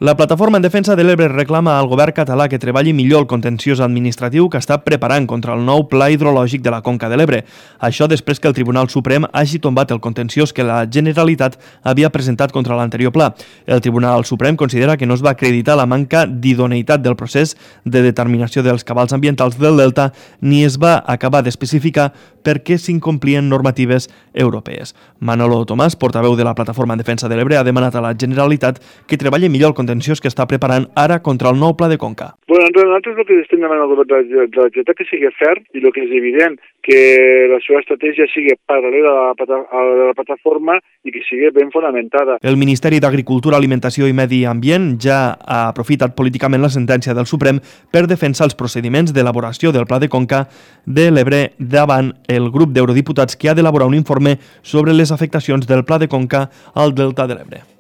La Plataforma en Defensa de l'Ebre reclama al govern català que treballi millor el contenciós administratiu que està preparant contra el nou pla hidrològic de la Conca de l'Ebre. Això després que el Tribunal Suprem hagi tombat el contenciós que la Generalitat havia presentat contra l'anterior pla. El Tribunal Suprem considera que no es va acreditar la manca d'idoneïtat del procés de determinació dels cabals ambientals del delta ni es va acabar d'especificar per què s'incomplien normatives europees. Manolo Tomàs, portaveu de la Plataforma en Defensa de l'Ebre, ha demanat a la Generalitat que treballi millor el contenciós que està preparant ara contra el nou pla de Conca. Bueno, nosaltres el que estem demanant al govern de la Generalitat que sigui ferm i el que és evident que la seva estratègia sigui paral·lela a la plataforma i que sigui ben fonamentada. El Ministeri d'Agricultura, Alimentació i Medi Ambient ja ha aprofitat políticament la sentència del Suprem per defensar els procediments d'elaboració del Pla de Conca de l'Ebre davant el grup d'eurodiputats que ha d'elaborar un informe sobre les afectacions del Pla de Conca al delta de l'Ebre.